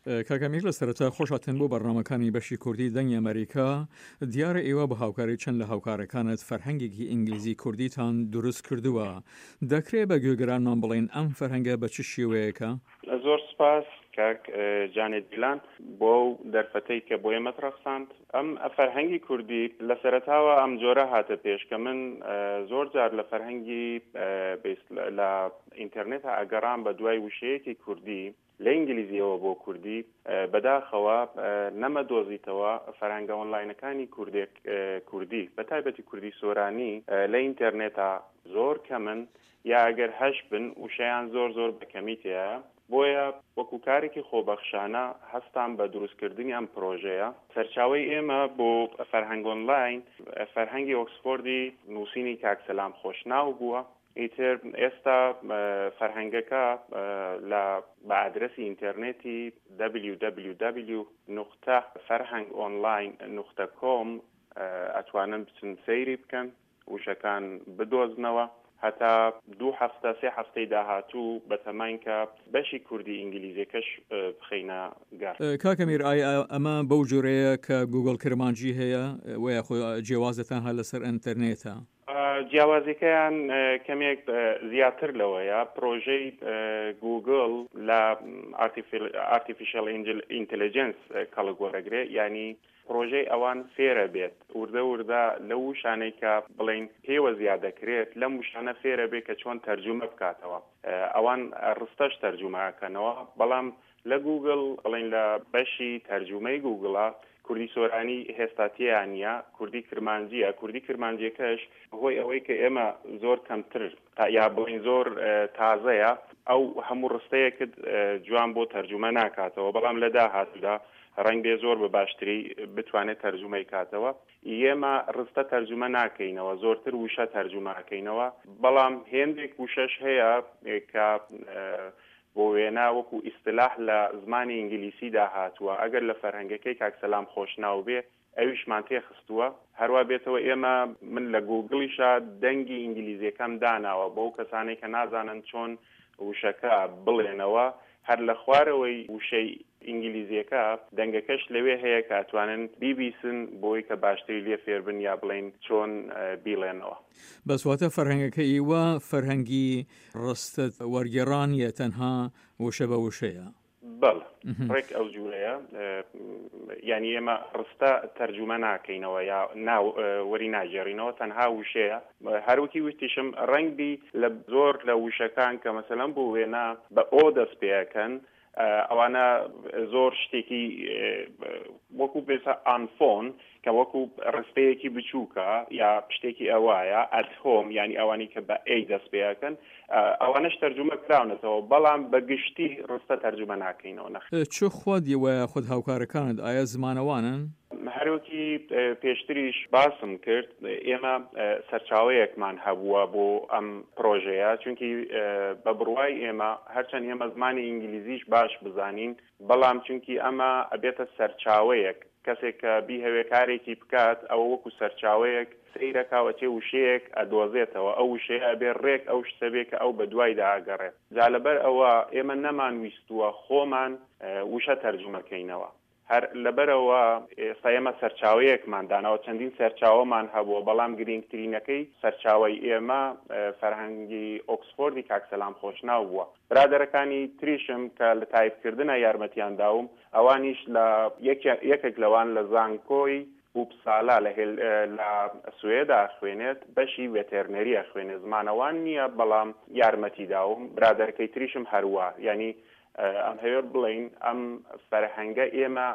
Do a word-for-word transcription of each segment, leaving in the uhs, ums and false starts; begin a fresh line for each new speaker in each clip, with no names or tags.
کاک ئەمیر لە سەرەتا خۆش هاتن بۆ بەرنامەکانی بەشی کوردی دەنگی ئەمەریکا. دیارە ئێوە بە هاوکاری چەند لە هاوکارەکانت فەرهەنگێکی ئینگلیزی کوردیتان دروست کردووە. دەکرێ بە گوێگرانمان بڵێن ئەم فەرهەنگە بە چ شێوەیەکە؟
زۆر سپاس کاک جانێ دیلان بۆ ئەو دەرفەتەی کە بۆ ئێمەت ڕەخساند. ئەم فەرهەنگی کوردی لە سەرەتاوە ئەم جۆرە هاتە پێش کە من زۆر جار لە فەرهەنگی لە ئینتەرنێتا ئەگەڕام بە دوای وشەیەکی کوردی لە ئینگلیزیەوە بۆ کوردی، بەداخەوە نەمەدۆزیتەوە فەرهەنگە ئۆنلاینەکانی کوردێک کوردی بە تایبەتی کوردی سۆرانی لە ئینتەرنێتا زۆر کەمن، یا ئەگەر هەش بن وشەیان زۆر زۆر بە کەمی تێیە. بۆیە وەکو کارێکی خۆبەخشانە هەستام بە دروستکردنی ئەم پرۆژەیە. سەرچاوەی ئێمە بۆ فەرهەنگ ئۆنلاین فەرهەنگی ئۆکسفۆردی نووسینی کاک سەلام خۆشناو بووە. ئیتر ئێستا فەرهەنگەکە لە بە ئادرەسی ئینتەرنێتی دبلیو دبلیو دبلیو نقطە فەرهەنگ ئۆنلاین نقطە کۆم ئەتوانن بچن سەیری بکەن، وشەکان بدۆزنەوە. هەتا دوو هەفتە سێ هەفتەی داهاتوو بەتەماین کە بەشی کوردی ئینگلیزیەکەش بخەینە گەڕ.
کاک ئەمیر ئایا ئەمە بەو جۆرەیە کە گوگڵ کرمانجی هەیە وە یاخۆ جیاوازە تەنها لەسەر ئینتەرنێتە؟
جیاوازیەکەیان کەمێک زیاتر لەوەیە. پرۆژەی گوگڵ لە ئارتیفیشل ئینتەلیجنس کەڵک وەرەگرێ، یعنی پرۆژەی ئەوان فێرە بێت وردە وردە لەو وشانەی کە بڵین پێوە زیاد دەکرێت لەم وشانە فێرە بێت کە چۆن تەرجومە بکاتەوە. ئەوان ڕستەش تەرجومە ئەکەنەوە، بەڵام لە گوگڵ بڵین لە بەشی تەرجومەی گوگڵە کوردی سۆرانی هێستا تێیان نییە، کوردی کرمانجیە. کوردی کرمانجیەکەش هۆی ئەوەی کە ئێمە زۆر کەمتر یا بڵین زۆر تازەیە، ئەو هەموو ڕستەیەکت جوان بۆ تەرجومە ناکاتەوە، بەڵام لە داهاتوودا ڕەنگ بێ زۆر بە باشتری بتوانێت تەرجومەی کاتەوە. ئێمە ڕستە تەرجومە ناکەینەوە، زۆرتر وشە تەرجومە ئەکەینەوە، بەڵام هێندێک وشەش هەیە کە بۆ وێنا وەکو ئیستلاح لە زمانی ئینگلیسیدا هاتووە، ئەگەر لە فەرهەنگەکەی کاک سەلام خۆشناو بێ ئەویشمان تێخستووە. هەروە بێتەوە ئێمە من لە گوگڵیشا دەنگی ئینگلیزیەکەم داناوە بۆ کەسانێک کە نازانن چۆن وشەکە بڵێنەوە، هەر لە خوارەوەی وشەی ئینگلیزیەکە دەنگەکەش لەوێ هەیە کە ئەتوانن بیبیسن بۆی کە باشتری لێ فێربن یا بڵێن چۆن بیڵێنەوە.
بەس واتە فەرهەنگەکە ئیوە فەرهەنگی ڕستت وەرگێڕانیە، تەنها وشە بە وشەیە؟
بەڵێ، ڕێک ئەو جوورەیە. یعنی ئێمە ڕستە تەرجومە ناکەینەوە یا وەری ناگێڕینەوە، تەنها وشەیە. هەروەکی وتیشم ڕەنگبی لە زۆر لە وشەکان کە مەسەلەن بۆ وێنا بە ئۆ دەست پێەکەن، ئەوانە زۆر شتێکی وەکو بێسە ئانفۆن کە وەکو ڕستەیەکی بچووکە یا شتێکی ئەوایە ئەت هۆم، یعنی ئەوانەی کە بە ئەی دەست پێەکەن ئەوانەش تەرجومە کراونەتەوە، بەڵام بە گشتی ڕستە تەرجومە ناکەینەوە. نەخ
چ خۆت وە خود هاوکارەکانت ئایا زمانەوانن؟
هەروەکی پێشتریش باسم کرد ئێمە سەرچاوەیەکمان هەبووە بۆ ئەم پرۆژەیە، چونکی بە بڕوای ئێمە هەرچەند ئێمە زمانی ئینگلیزیش باش بزانین، بەڵام چونکی ئەمە ئەبێتە سەرچاوەیەک، کەسێک کە بیهەوێ کارێکی بکات ئەوە وەکو سەرچاوەیەک سەیرەکاوە چێ وشەیەک ئەدۆزێتەوە، ئەو وشەیە ئەبێ ڕێک ئەو شتە بێ کە ئەو بە دوایدا ئەگەڕێت. جا لەبەر ئەوە ئێمە نەمان ویستووە خۆمان وشە تەرجومەکەینەوە، هەر لەبەرەوە ئێستا ئێمە سەرچاوەیەکمان داناوە، چەندین سەرچاوەمان هەبووە، بەڵام گرنگترینەکەی سەرچاوەی ئێمە فەرهەنگی ئۆکسفۆردی کاک سەلام خۆشناو بووە. برادەرەکانی تریشم کە لە تایپکردنە یارمەتیان داوم، ئەوانیش لە یەکێک لەوان لە زانکۆی ئوپسالا لە سوێدا خوێنێت، بەشی ڤێتێرنەریە خوێنێت، زمانەوان نییە بەڵام یارمەتی داوم. برادەرەکەی تریشم هەروە، یعنی ئەم هەوێ بڵین ئەم فەرهەنگە ئێمە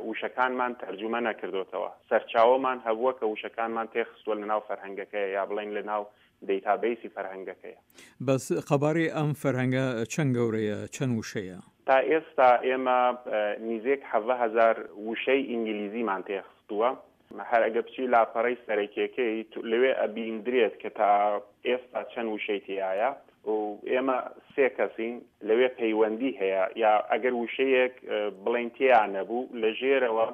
وشەکانمان تەرجومە نەکردوتەوە، سەرچاوەمان هەبووە کە وشەکانمان تێخستووە لەناو فەرهەنگەکەیە یا بڵین لەناو دەیتابەیسی فەرهەنگەکەیە.
بەس قەبارەی ئەم فەرهەنگە چەند گەورەیە، چەند وشەیە؟
تا ئێستا ئێمە نزیک حەڤدە هەزار وشەی ئینگلیزیمان تێخستووە. هەر ئەگە بچی لاپەڕەی سەرەکیەکەی لەوێ ئەبیندرێت کە تا ئێستا چەند وشەی تیایە. و ئێمە سێ کەسین لەوێ پەیوەندی هەیە، یا ئەگەر وشەیەک بڵێن تیا نەبوو لە ژێرەوە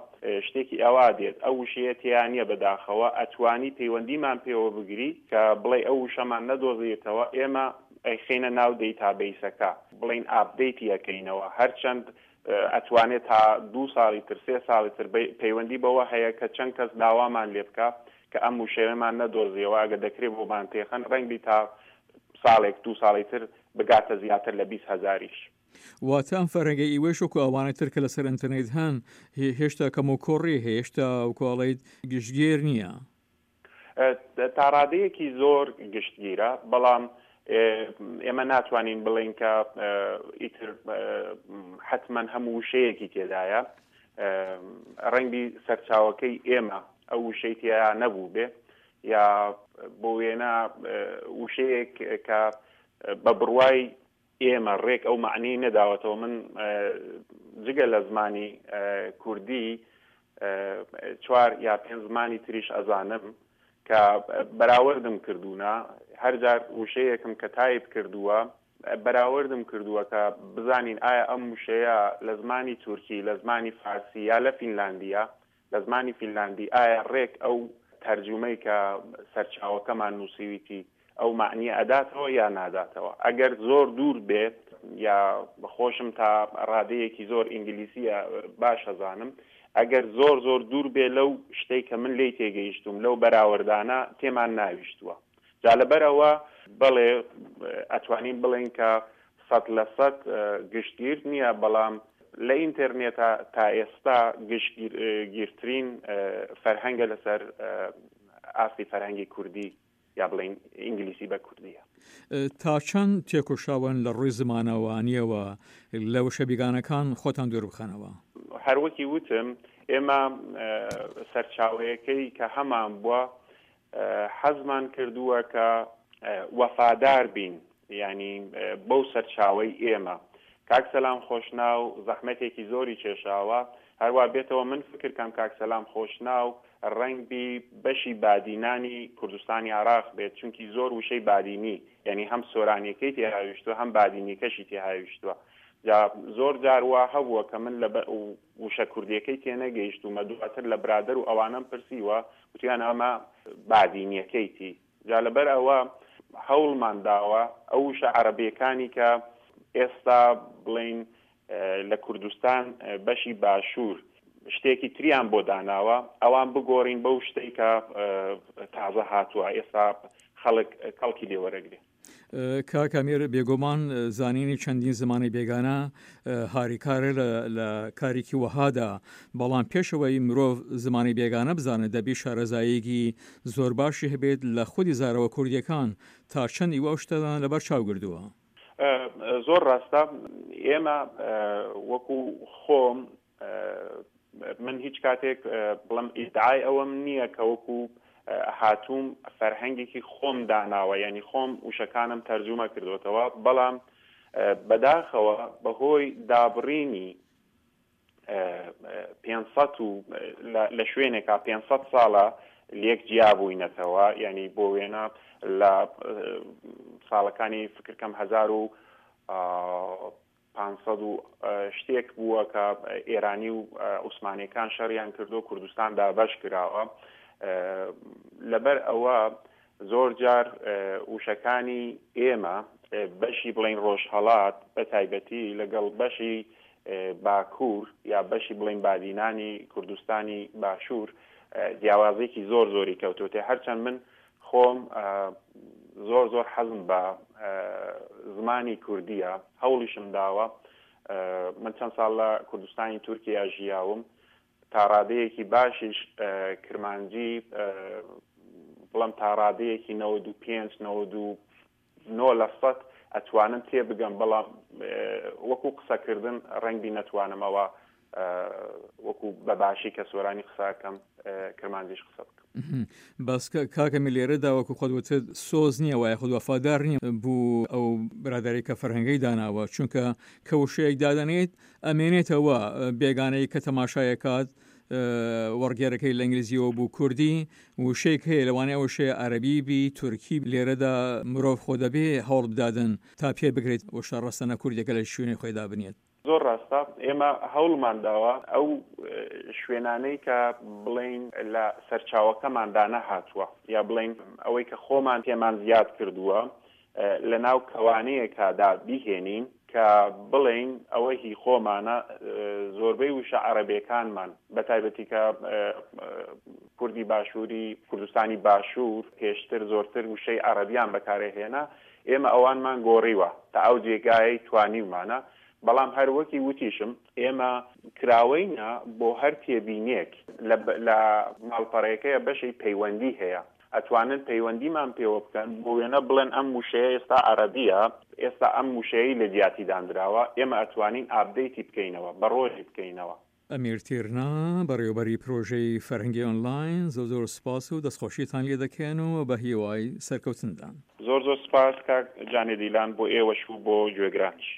شتێکی ئەوا دێت، ئەو وشەیە تیا نییە بەداخەوە، ئەتوانی پەیوەندیمان پێوە بگری کە بڵێ ئەو وشەمان نەدۆزیتەوە، ئێمە ئەیخەینە ناو دەیتابەیسەکە، بڵێن ئاپدەیتی ئەکەینەوە. هەرچەند ئەتوانێت تا دوو ساڵی تر سێ ساڵی تر پەیوەندی بەوە هەیە کە چەند کەس داوامان لێ بکە کە ئەم وشەیەمان نەدۆزیەوە، ئەگە دەکرێت بۆمان تێخەن ڕەنگبی تا ساڵێک دوو ساڵی تر بگاتە زیاتر لە بیست هەزاریش.
واتە ئەم فەرهەنگەی ئیوەش وەکو ئەوانەی تر کە لەسەر ئینتەرنێت هەن هێشتا کەم و کۆڕی هەیە، هێشتا وەکو ئەڵێیت گشتگیر نییە.
تا ڕادەیەکی زۆر گشتگیرە، بەڵام ئێمە ناتوانین بڵێین کە ئیتر حتمما هەموو وشەیەکی تێدایە. ڕەنگی سەرچاوەکەی ئێمە ئەو وشەی تێیا نەبوو بێ، یا بۆ وێنە وشەیەک کە بە بڕوای ئێمە ڕێک ئەو معنی نەداوەتەوە. من جگە لە زمانی کوردی چوار یا پێنج زمانی تریش ئەزانم کە بەراوردم کردوونە، هەرجار وشەیەکم کە تایپ کردووە بەراوردم کردووە کە بزانین ئایا ئەم وشەیە لە زمانی تورکی، لە زمانی فارسی یا لە فینلاندیە، لە زمانی فینلاندی ئایا ڕێک ئەو تەرجومەی کە سەرچاوەکەمان نووسیویتی ئەو معنیە ئەداتەوە یا ناداتەوە. ئەگەر زۆر دوور بێت یا خۆشم تا ڕادەیەکی زۆر ئینگلیسیە باش ئەزانم، ئەگەر زۆر زۆر دوور بێ لەو شتەی کە من لێی تێگەیشتوم لەو بەراوردانە تێمان ناویشتووە. جا لەبەرەوە بەڵێ ئەتوانین بڵێن کە سەد لە سەد گشتگیر نییە، بەڵام لە ئینتەرنێتە تا ئێستا گشتگیرترین فەرهەنگە لەسەر ئاستی فەرهەنگی کوردی یا بڵێن ئینگلیسی بە کوردیە.
تا چەند تێکۆشاون لە ڕووی زمانەوانیەوە لە وشە بیگانەکان خۆتان دوور بخەنەوە؟
هەروەکی وتم ئێمە سەرچاوەیەکەی کە هەمان بووە حەزمان کردووە کە وەفادار بین، یعنی بەو سەرچاوەی ئێمە. کاک سەلام خۆشناو زەحمەتێکی زۆری کێشاوە، هەروە بێتەوە من فکر کەم کاک سەلام خۆشناو ڕەنگبی بەشی بادینانی کوردستانی عراق بێت، چونکی زۆر وشەی بادینی، یعنی هەم سۆرانیەکەی تێهاویشتووە هەم بادینیەکەشی تێهاویشتووە. جا زۆر جار وا هەبووە کە من لە وشە کوردیەکەی تێنەگەیشتوومە، دواتر لە برادەر و ئەوانەم پرسیوە وتیان ئەمە بادینیەکەیتی. جا لەبەر ئەوە هەوڵمان داوە ئەو وشە عەرەبیەکانی کە ئێستا بڵین لە کوردستان بەشی باشوور شتێکی تریان بۆ داناوە ئەوان بگۆڕین بەو شتێک کە تازە هاتووە ئێستا خەڵک کەڵکی لێوەرەگرێ.
کاک ئەمیر، بێگومان زانینی چەندین زمانی بێگانە هاریکارە لە کارێکی وەهادا، بەڵام پێشەوەی مرۆڤ زمانی بێگانە بزانێت دەبی شارەزاییەکی زۆر باشی هەبێت لە خودی زارەوە کوردیەکان. تا چەند ئیوە ئەو شتەدان لەبەر چاو گردووە؟
زۆر ڕاستە. ئێمە وەکو خۆم من هیچ کاتێک بڵم ئیدعای ئەوەم نییە کە وەکو هاتووم فەرهەنگێکی خۆم داناوە، یعنی خۆم وشەکانم تەرجومە کردوتەوە، بەڵام بەداخەوە بەهۆی دابڕینی پێنج سەد و لە شوێنێکا پێنج سەد ساڵە لێک جیا بووینەتەوە، یعنی بۆ وێنە لە ساڵەکانی فکرکەم هەزار و پانسەد و شتێک بووە کە ئێرانی و عوسمانیەکان شەڕیان کردو کوردستان دابەش کراوە. لەبەر ئەوە زۆر جار وشەکانی ئێمە بەشی بڵین ڕۆژهەڵات بە تایبەتی لەگەڵ بەشی باکوور یا بەشی بڵین بادینانی کوردستانی باشوور جیاوازێکی زۆر زۆری کەوتوتێ. هەرچەند من خۆم زۆر زۆر حەزم بە زمانی کوردیە، هەوڵیشم داوە. من چەند ساڵ لە کوردستانی تورکیا ژیاوم، تا ڕادەیەکی باشیش کرمانجی بڵم تا ڕادەیەکی نەوەد و پێنج نەوەد و نۆ لە سەد ئەتوانم تێبگەم، بەڵام وەکو قسەکردن ڕەنگبی نەتوانمەوە وەکو بەباشی کە سۆرانی قسەکەم کرمانجیش قسە بکەم.
بەس کاکە لێرەدا وەکو خۆت وتت سۆز نییە وایە خود وەفادار نییە بوو ئەو برادەرەی کە فەرهەنگەی داناوە، چونکە کە وشەیەک دادەنێت ئەمێنێتەوە بێگانەی کە تەماشایەکات وەڕگێرەکەی لە ئینگلیزیەوە بوو کوردی وشەیەک هەیە لەوانەیە وشەیە عەرەبی بی تورکی، لێرەدا مرۆڤ خۆ دەبێ هەوڵ بدادن تا پێ بگرێت وشە ڕەسەنە کوردیەکە لە شوێنی خۆیدا بنێت.
زۆر ڕاستە. ئێمە هەوڵمان داوە ئەو شوێنانەی کە بڵین لە سەرچاوەکەماندا نەهاتووە یا بڵین ئەوەی کە خۆمان پێمان زیاد کردووە لە ناو کەوانەیەکدا بیهێنین کە بڵێین ئەوە هی خۆمانە، زۆربەی وشە عەرەبیەکانمان بە تایبەتی کە کوردی باشووری کوردستانی باشوور پێشتر زۆرتر وشەی عەرەبیان بەکارهێنا، ئێمە ئەوانمان گۆڕیوە تا ئەو جێگایەی توانیومانە، بەڵام هەر وەکی وتیشم ئێمە کراوەینە بۆ هەر تێبینێک لە ماڵپەڕەکەیە بەشی پەیوەندی هەیە، ئەتوانن پەیوەندیمان پێوە بکەن، بۆ وێنە بڵێن ئەم وشەیە ئێستا عەرەبیە، ئێستا ئەم وشەیەی لە جیاتی دانراوە، ئێمە ئەتوانین update ی بکەینەوە، بە ڕۆژی بکەینەوە.
ئەمیر تیرنا، بەڕێوەبەری پرۆژەی فەرهەنگی ئۆنلاین، زۆر زۆر سوپاس و دەستخۆشیتان لێ دەکەین و بە هیوای سەرکەوتندان.
زۆر زۆر سوپاس کاک جانێ دیلان بۆ ئێوەش و بۆ گوێگرانیش.